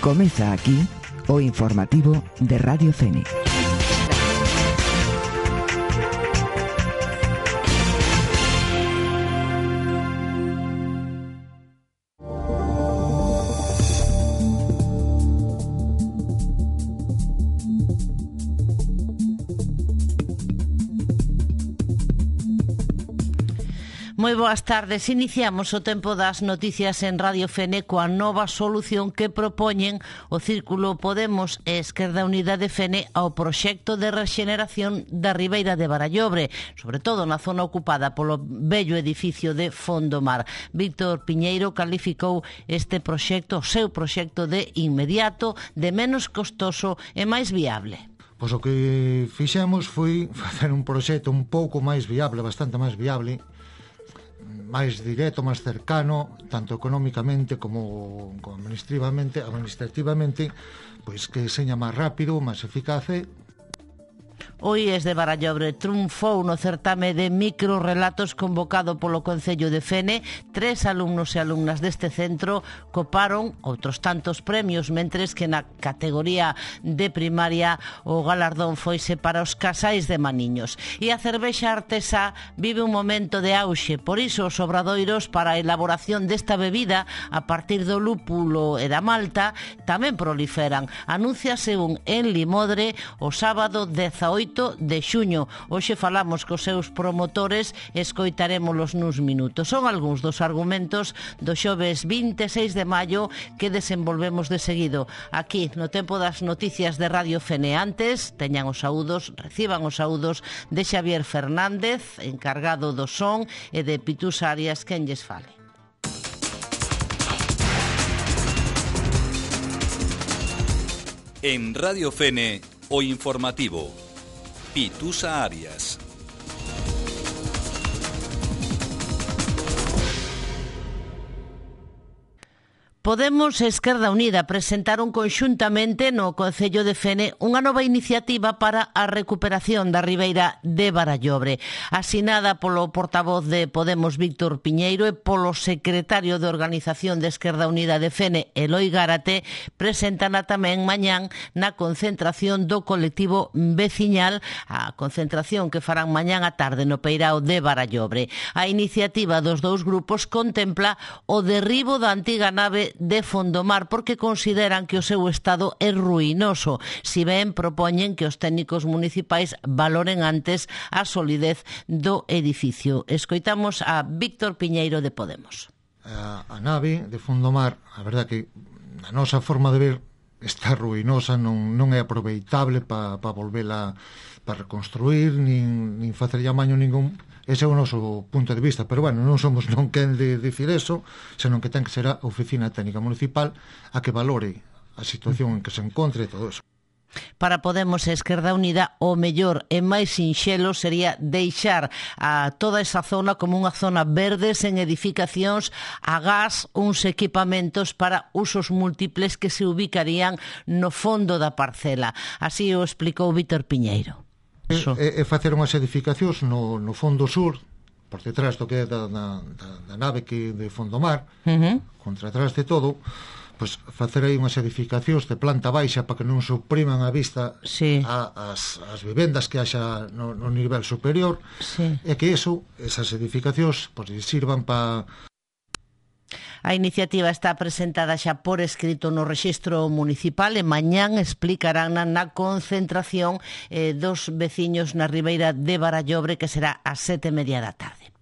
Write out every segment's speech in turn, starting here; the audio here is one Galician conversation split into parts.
Comeza aquí o informativo de Radio Fene. Moi boas tardes. Iniciamos o tempo das noticias en Radio Fene coa nova solución que propoñen o Círculo Podemos e Esquerda Unida de Fene ao proxecto de rexeneración da Ribeira de Barallobre, sobre todo na zona ocupada polo vello edificio de Fondomar. Víctor Piñeiro calificou este proxecto, o seu proxecto, de inmediato, de menos costoso e máis viable. Pois o que fixemos foi facer un proxecto un pouco máis viable, bastante máis viable, máis directo, máis cercano, tanto económicamente como administrativamente, pois que seña máis rápido, máis eficaz. O IES de Barallobre triunfou no certame de microrelatos convocado polo Concello de Fene. 3 alumnos e alumnas deste centro coparon outros tantos premios, mentres que na categoría de primaria o galardón foise para os casais de maniños. E a cervexa artesá vive un momento de auxe, por iso os obradoiros para a elaboración desta bebida a partir do lúpulo e da malta tamén proliferan. Anúnciase un en Limodre o sábado 18 de xuño. Hoxe falamos cos seus promotores e escoitarémolos nuns minutos. Son algúns dos argumentos do xoves 26 de maio que desenvolvemos de seguido aquí no tempo das noticias de Radio Fene. Antes, teñan os saúdos, reciban os saúdos de Xavier Fernández, encargado do son, e de Pitus Arias, quen lles fale. En Radio Fene, o informativo. Pitusa Arias. Podemos e Esquerda Unida presentaron conxuntamente no Concello de Fene unha nova iniciativa para a recuperación da Ribeira de Barallobre. Asinada polo portavoz de Podemos, Víctor Piñeiro, e polo secretario de Organización de Esquerda Unida de Fene, Eloi Gárate, presentana tamén mañán na concentración do colectivo veciñal, a concentración que farán mañán á tarde no Peirao de Barallobre. A iniciativa dos dous grupos contempla o derribo da antiga nave de Fondomar porque consideran que o seu estado é ruinoso, si ben propoñen que os técnicos municipais valoren antes a solidez do edificio. Escoitamos a Víctor Piñeiro de Podemos. A nave de Fondomar, a verdad que a nosa forma de ver está ruinosa, non é aproveitable para volvela para reconstruir, nin facer llamaño ningún. Ese é o noso punto de vista, pero bueno, non somos non quen de dicir eso, senón que ten que ser a Oficina Técnica Municipal a que valore a situación en que se encontre todo eso. Para Podemos e Esquerda Unida, o mellor e máis sinxelo sería deixar a toda esa zona como unha zona verde sen edificacións, a gas, uns equipamentos para usos múltiples que se ubicarían no fondo da parcela. Así o explicou Víctor Piñeiro. É facer unhas edificacións no fondo sur, por detrás do que é da nave que de Fondomar, contra atrás de todo, pois facer aí unhas edificacións de planta baixa para que non supriman a vista as vivendas que haxa no nivel superior, e que esas edificacións pois sirvan para... A iniciativa está presentada xa por escrito no rexistro municipal e mañán explicarán na concentración dos veciños na Ribeira de Barallobre, que será ás 7:30 da tarde.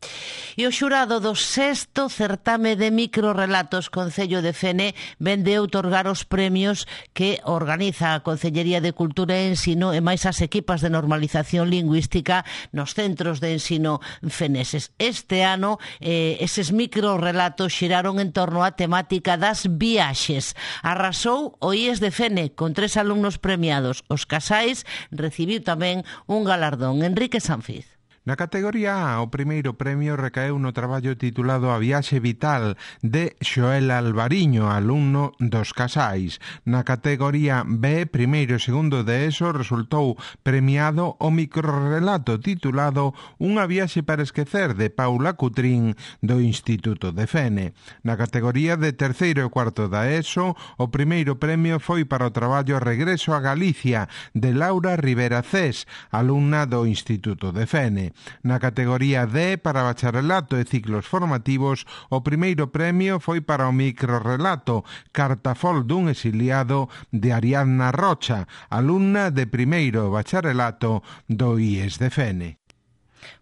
E o xurado do 6º certame de microrelatos Concello de Fene vende outorgar os premios que organiza a Concellería de Cultura e Ensino e máis as equipas de normalización lingüística nos centros de ensino feneses. Este ano, eses microrelatos xiraron en torno á temática das viaxes. Arrasou o IES de Fene con 3 alumnos premiados. Os casais recibiu tamén un galardón. Enrique Sanfiz. Na categoría A, o primeiro premio recaeu no traballo titulado A viaxe vital de Xoel Alvariño, alumno dos Casais. Na categoría B, primeiro e segundo de ESO, resultou premiado o microrrelato titulado Unha viaxe para esquecer de Paula Cutrín do Instituto de Fene. Na categoría de terceiro e cuarto da ESO, o primeiro premio foi para o traballo Regreso a Galicia de Laura Rivera Cés, alumna do Instituto de Fene. Na categoría D, para bacharelato e ciclos formativos, o primeiro premio foi para o microrrelato Cartafol dun exiliado de Ariadna Rocha, alumna de primeiro bacharelato do IES de Fene.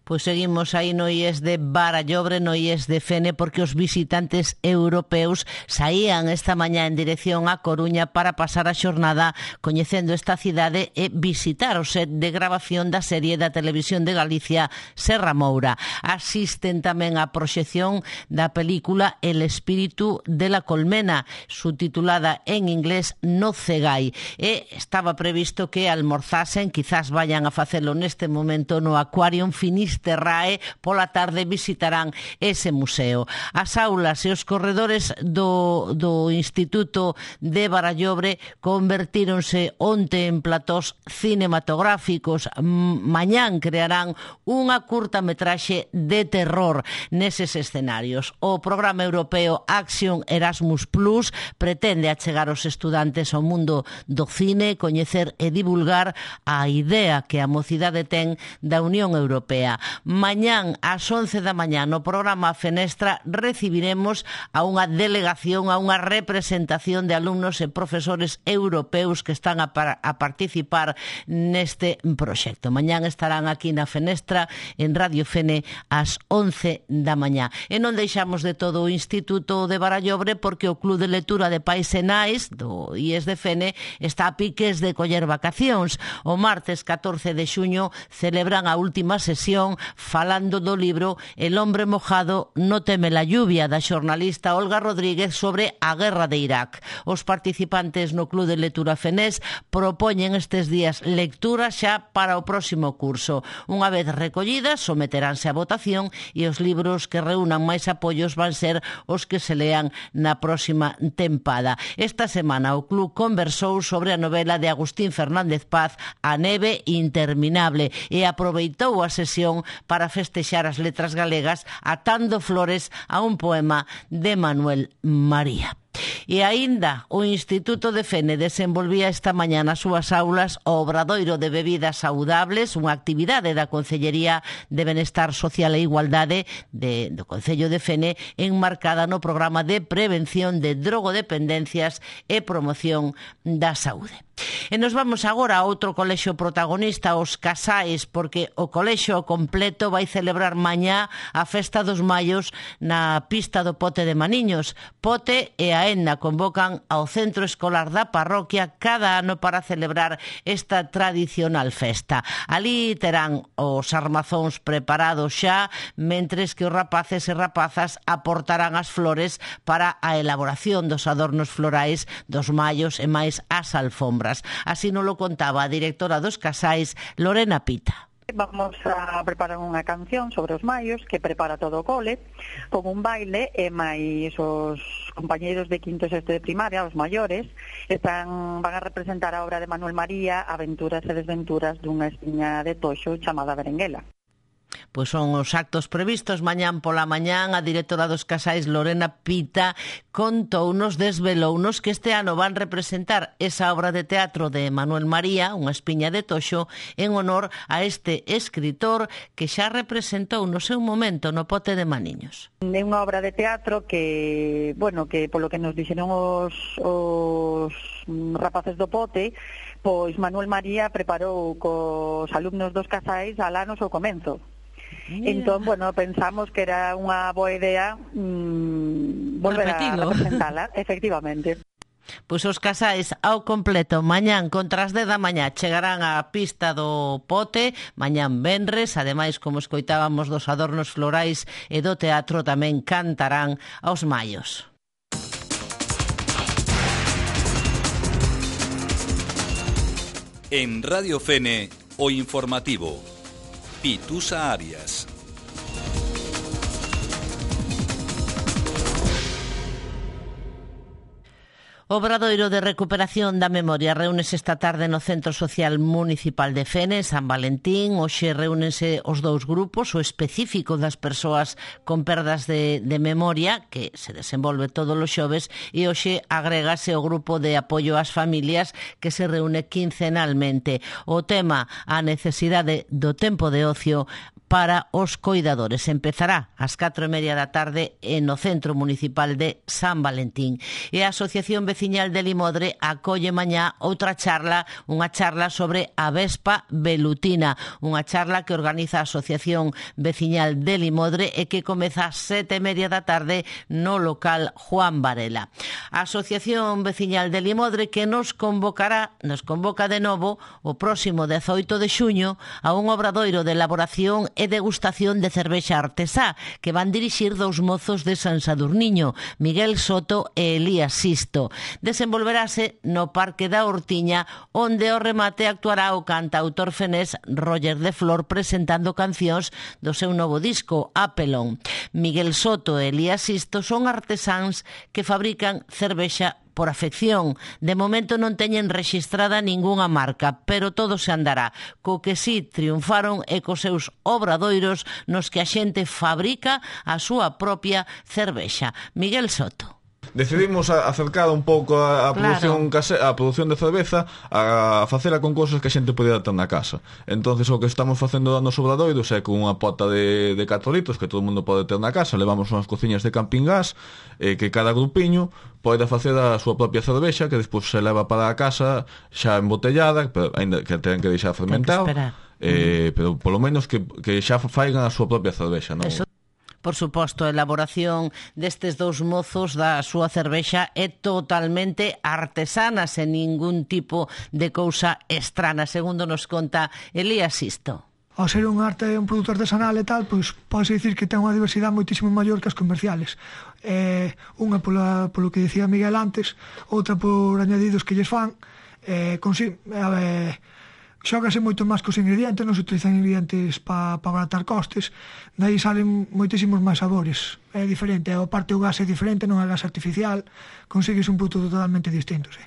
Pois seguimos aí no IES de Barallobre, no IES de Fene, porque os visitantes europeos saían esta mañá en dirección a Coruña para pasar a xornada coñecendo esta cidade e visitar o set de grabación da serie da Televisión de Galicia Serra Moura. Asisten tamén á proxección da película El espíritu de la colmena, subtitulada en inglés No Cegai, e estaba previsto que almorzasen, quizás vayan a facelo neste momento no Aquarium Finisterrae, pola tarde visitarán ese museo. As aulas e os corredores do Instituto de Barallobre convertíronse onte en platós cinematográficos. Mañán crearán unha curtametraxe de terror neses escenarios. O programa europeo Action Erasmus Plus pretende achegar os estudantes ao mundo do cine, coñecer e divulgar a idea que a mocidade ten da Unión Europea. Mañán ás 11 da mañá no programa Fenestra recibiremos a unha delegación, a unha representación de alumnos e profesores europeos que están a participar neste proxecto. Mañán estarán aquí na Fenestra en Radio Fene ás 11 da mañá. E non deixamos de todo o Instituto de Barallobre porque o Club de Lectura de Pais e Nais do IES de Fene está a piques de coller vacacións. O martes 14 de xuño celebran a última sesión falando do libro El hombre mojado no teme la lluvia, da xornalista Olga Rodríguez sobre a guerra de Irak. Os participantes no Club de Lectura Fenés propoñen estes días lecturas xa para o próximo curso. Unha vez recollidas, someteránse a votación e os libros que reúnan máis apoios van ser os que se lean na próxima tempada. Esta semana o club conversou sobre a novela de Agustín Fernández Paz, A neve interminable, e aproveitou a sesión para festexar as letras galegas atando flores a un poema de Manuel María. E aínda o Instituto de Fene desenvolvía esta mañá nas súas aulas o obradoiro de bebidas saudables, unha actividade da Concellería de Benestar Social e Igualdade do Concello de Fene, enmarcada no programa de prevención de drogodependencias e promoción da saúde. E nos vamos agora a outro colexio protagonista, os Casais, porque o colexio completo vai celebrar mañá a Festa dos Maios na pista do Pote de Maniños. Pote e a Enna convocan ao centro escolar da parroquia cada ano para celebrar esta tradicional festa. Alí terán os armazóns preparados xa, mentres que os rapaces e rapazas aportarán as flores para a elaboración dos adornos florais dos maios e máis as alfombras. Así nos lo contaba a directora dos Casais, Lorena Pita. Vamos a preparar unha canción sobre os maios que prepara todo o cole, con un baile e máis os compañeiros de quinto e sexto de primaria, os maiores, van a representar a obra de Manuel María, Aventuras e desventuras dunha espiña de toxo chamada Berenguela. Pois son os actos previstos mañán pola mañán. A directora dos Casais, Lorena Pita, contounos, desvelounos que este ano van representar esa obra de teatro de Manuel María, unha espiña de toxo, en honor a este escritor que xa representou no seu momento no Pote de Maniños. É unha obra de teatro que, que polo que nos dixeron os rapaces do Pote, pois Manuel María preparou cos alumnos dos Casais alanos ao comenzo. Entón, pensamos que era unha boa idea volver a representala, efectivamente. Pois os Casais ao completo mañán contra as 10 da mañá chegarán á pista do Pote, mañán venres, ademais, como escoitábamos dos adornos florais e do teatro, tamén cantarán aos maios. En Radio Fene, o informativo. Pitusa Arias. O Obradoiro de Recuperación da Memoria reúnese esta tarde no Centro Social Municipal de Fene, San Valentín. Hoxe reúnense os dous grupos, o específico das persoas con perdas de memoria, que se desenvolve todos os xoves, e hoxe agrégase o grupo de apoio ás familias, que se reúne quincenalmente. O tema, a necesidade do tempo de ocio para os coidadores. Empezará ás 4:30 da tarde no Centro Municipal de San Valentín. E a Asociación Veciñal de Limodre acolle mañá outra charla, unha charla sobre a vespa velutina, unha charla que organiza a Asociación Veciñal de Limodre e que comeza ás 7:30 da tarde no local Juan Varela. A Asociación Veciñal de Limodre que nos convoca de novo o próximo 18 de xuño a un obradoiro de elaboración e degustación de cervexa artesá que van dirixir dous mozos de San Sadurniño, Miguel Soto e Elías Sisto. Desenvolverase no Parque da Hortiña, onde ao remate actuará o cantautor fenés Roger de Flor presentando cancións do seu novo disco, Apelón. Miguel Soto e Elías Sisto son artesáns que fabrican cervexa por afección. De momento non teñen rexistrada ningunha marca, pero todo se andará. Co que si triunfaron e cos seus obradoiros nos que a xente fabrica a súa propia cervexa. Miguel Soto. Decidimos acercar un pouco a produción a produción de cerveza a facela con cousas que a xente podía ter na casa. Entonces o que estamos facendo nos obradoiros é con unha pota de 4 litros que todo o mundo pode ter na casa. Levamos unhas cociñas de camping gas que cada grupiño pode facer a súa propia cervexa que despois se leva para a casa xa embotellada, pero ainda que ten que deixar fermentar, pero polo menos que xa faigan a súa propia cervexa, non? Por suposto, a elaboración destes dous mozos da súa cervexa é totalmente artesana, sen ningún tipo de cousa estrana, segundo nos conta Elías Sisto. Ao ser un produto artesanal e tal, pois pode dicir que ten unha diversidade moitísimo maior que as comerciales. Unha polo que dicía Miguel antes, outra por añadidos que lles fan, xógase moito máis cos ingredientes, non se utilizan ingredientes para abaratar costes, daí salen moitísimos máis sabores. É diferente, a parte o gas é diferente, non é gas artificial, consigues un produto totalmente distinto, sí.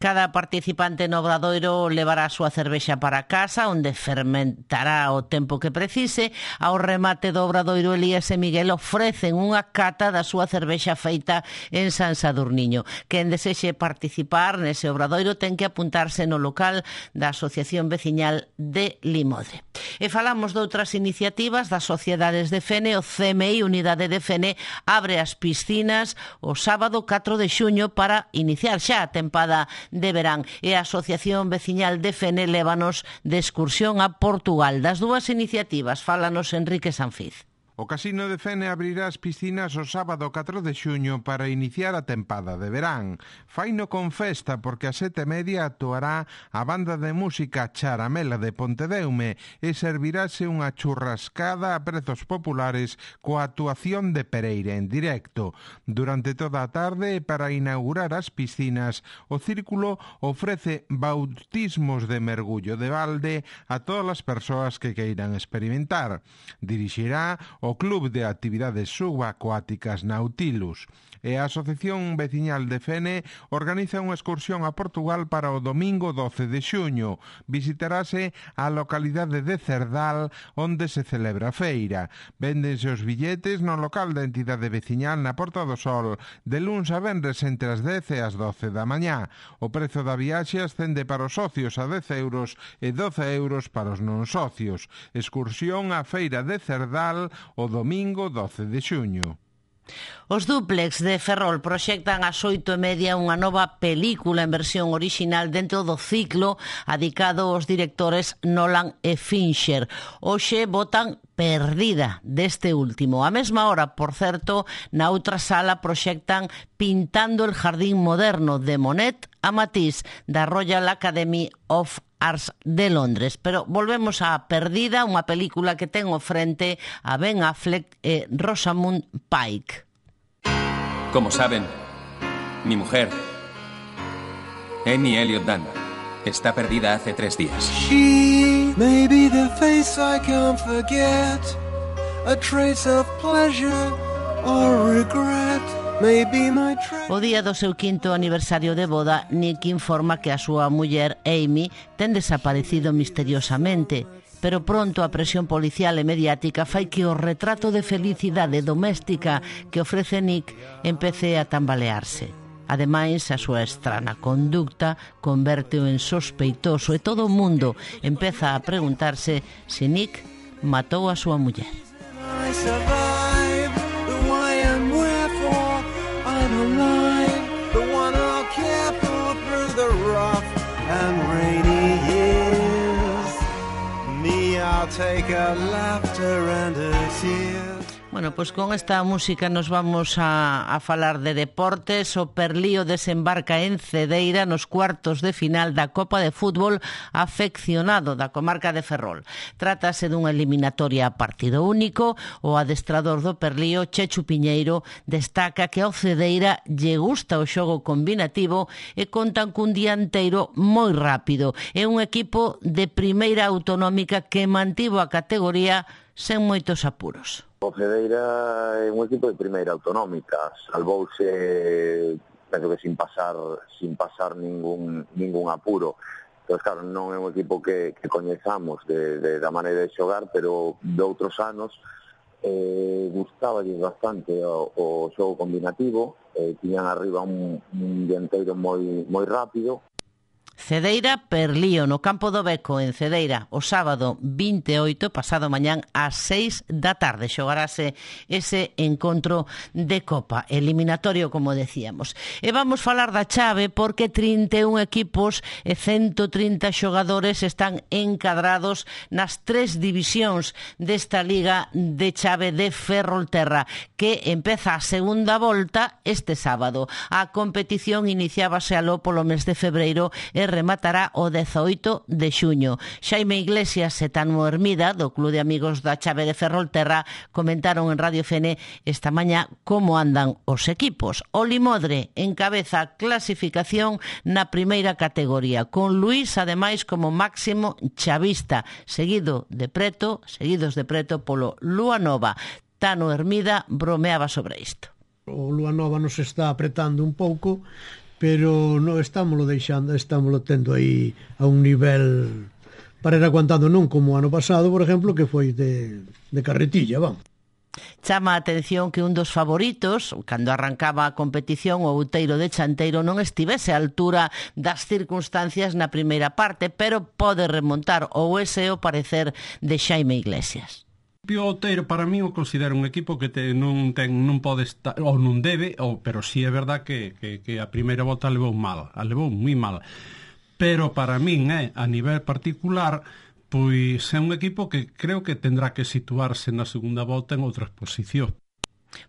Cada participante no obradoiro levará a súa cervexa para casa, onde fermentará o tempo que precise. Ao remate do obradoiro, Elías e Miguel ofrecen unha cata da súa cervexa feita en San Sadurniño. Quen desexe participar nese obradoiro ten que apuntarse no local da Asociación Veciñal de Limodre. E falamos de outras iniciativas das sociedades de Fene. O CMI, Unidade de Fene, abre as piscinas o sábado 4 de xuño para iniciar xa a tempada de verán, e a Asociación Veciñal de Fene lévanos de excursión a Portugal. Das dúas iniciativas fálanos Enrique Sanfiz. O Casino de Fene abrirá as piscinas o sábado 4 de xuño para iniciar a tempada de verán. Faino con festa porque a 7:30 actuará a banda de música Charamela de Pontedeume e servirase unha churrascada a prezos populares coa actuación de Pereira en directo. Durante toda a tarde, para inaugurar as piscinas, o Círculo ofrece bautismos de mergullo de balde a todas as persoas que queiran experimentar. Dirixirá o Club de Actividades Subacuáticas Nautilus e a Asociación Veciñal de Fene organiza unha excursión a Portugal para o domingo 12 de xuño. Visitarase a localidade de Cerdal, onde se celebra a feira. Véndense os billetes no local da entidade veciñal na Porta do Sol, de luns a venres entre as 10 e as 12 da mañá. O prezo da viaxe ascende para os socios a 10 euros e 12 euros para os non socios. Excursión á feira de Cerdal o domingo 12 de xuño. Os Dúplex de Ferrol proxectan ás 8:30 unha nova película en versión orixinal dentro do ciclo adicado aos directores Nolan e Fincher. Hoxe votan Perdida deste último. A mesma hora, por certo, na outra sala proxectan Pintando el jardín moderno de Monet a Matisse da Royal Academy of Arts de Londres. Pero volvemos a Perdida, unha película que ten ao frente a Ben Affleck e Rosamund Pike. Como saben, mi mujer, Annie Elliot Dunn, está perdida hace 3 días. maybe the face I can't forget, a trace of pleasure or regret. O día do seu 5º aniversario de boda, Nick informa que a súa muller, Amy, ten desaparecido misteriosamente. Pero pronto a presión policial e mediática fai que o retrato de felicidade doméstica que ofrece Nick empece a tambalearse. Ademais, a súa estrana conducta converte-o en sospeitoso e todo o mundo empeza a preguntarse se Nick matou a súa muller. Take a laughter and a tear. Bueno, pois con esta música nos vamos a falar de deportes. O Perlío desembarca en Cedeira nos cuartos de final da Copa de Fútbol afeccionado da comarca de Ferrol. Trátase dunha eliminatoria a partido único. O adestrador do Perlío, Chechu Piñeiro, destaca que ao Cedeira lle gusta o xogo combinativo e contan cun dianteiro moi rápido. É un equipo de primeira autonómica que mantivo a categoría sen moitos apuros. O Cedeira é un equipo de primeira autonómica, salvouse, penso que sin pasar ningún apuro. Entón, claro, non é un equipo que coñezamos da maneira de xogar, pero de outros anos gustaba bastante o xogo combinativo, tiñan arriba un dianteiro moi rápido. Cedeira Perlío no campo do Beco en Cedeira o sábado 28, pasado mañán ás 6 da tarde xogarase ese encontro de Copa eliminatorio, como decíamos. E vamos falar da chave porque 31 equipos e 130 xogadores están encadrados nas 3 divisións desta liga de chave de Ferrolterra, que empeza a segunda volta este sábado. A competición iniciábase aló polo mes de febreiro e rematará o 18 de xuño. Xaime Iglesias e Tano Hermida, do Club de Amigos da Chave de Ferrolterra, comentaron en Radio Fene esta mañá como andan os equipos. O Limodre encabeza a clasificación na primeira categoría, con Luís, ademais, como máximo chavista, seguidos de preto polo Lúa Nova. Tano Hermida bromeaba sobre isto. O Lúa Nova nos está apretando un pouco, pero non estámoslo tendo aí a un nivel para ir aguantando, non como o ano pasado, por exemplo, que foi de carretilla, vamos. Chama a atención que un dos favoritos, cando arrancaba a competición, o Outeiro de Chanteiro, non estivese á altura das circunstancias na primeira parte, pero pode remontar, ou ese é o parecer de Xaime Iglesias. O Outeiro, para mí, o considero un equipo que non pode estar, ou non debe, pero sí é verdad que a primeira volta levou moi mal. Pero para min, a nivel particular, pois é un equipo que creo que tendrá que situarse na segunda volta en outra posición.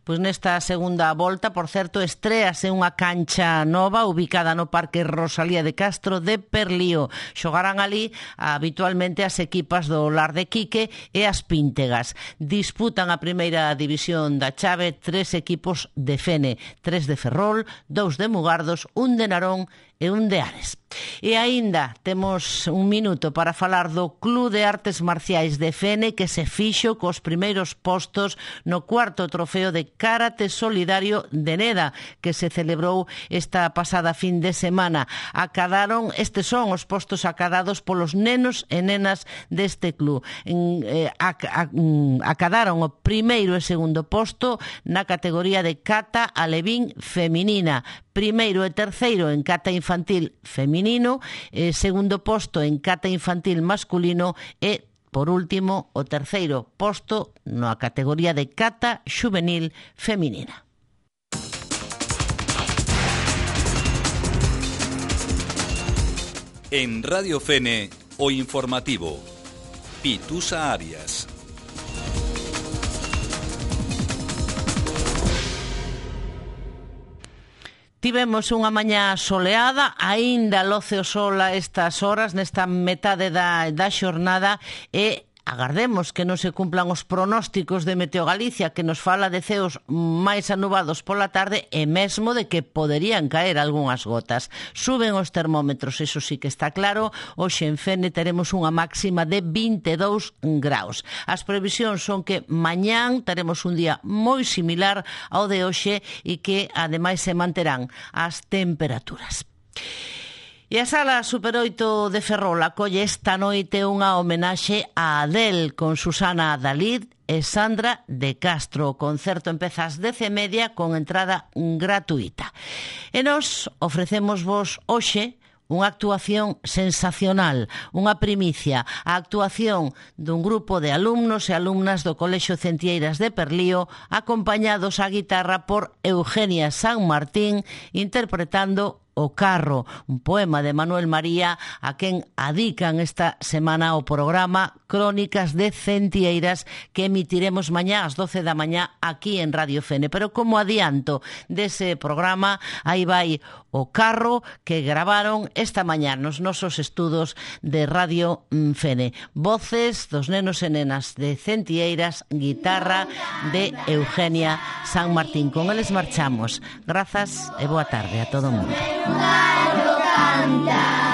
Pois nesta segunda volta, por certo, estréase unha cancha nova ubicada no Parque Rosalía de Castro de Perlío. Xogarán ali habitualmente as equipas do Lar de Quique e as Píntegas. Disputan a primeira división da chave 3 equipos de Fene, 3 de Ferrol, 2 de Mugardos, 1 de Narón e un de Ares. E aínda temos un minuto para falar do Club de Artes Marciais de Fene, que se fixo cos primeiros postos no cuarto trofeo de Karate Solidario de Neda, que se celebrou esta pasada fin de semana. Estes son os postos acadados polos nenos e nenas deste club. Acadaron o primeiro e segundo posto na categoría de kata alevín feminina, primeiro e terceiro en kata infantil feminino, segundo posto en kata infantil masculino e, por último, o terceiro posto na categoría de kata xuvenil feminina. En Radio Fene, o informativo. Pitusa Arias. Tivemos unha mañá soleada, aínda loce o sol a estas horas, nesta metade da xornada, e agardemos que non se cumplan os pronósticos de Meteo Galicia, que nos fala de ceos máis anubados pola tarde e mesmo de que poderían caer algunhas gotas. Suben os termómetros, eso sí que está claro. Hoxe en Fene teremos unha máxima de 22 graus. As previsións son que mañán teremos un día moi similar ao de hoxe e que ademais se manterán as temperaturas. E a Sala Super 8 de Ferrol acolle esta noite unha homenaxe a Adele con Susana Dalid e Sandra de Castro. O concerto empeza ás 10:30 con entrada gratuita. E nos ofrecemos vos hoxe unha actuación sensacional, unha primicia, a actuación dun grupo de alumnos e alumnas do Colexio Centieiras de Perlío, acompañados á guitarra por Eugenia San Martín, interpretando O Carro, un poema de Manuel María a quen adican esta semana o programa Crónicas de Centieiras que emitiremos mañá ás 12 da mañá aquí en Radio Fene. Pero como adianto dese programa, aí vai O Carro que gravaron esta mañá nos nosos estudos de Radio Fene. Voces dos nenos e nenas de Centieiras, guitarra de Eugenia San Martín. Con eles marchamos. Grazas e boa tarde a todo o mundo. Un gallo canta.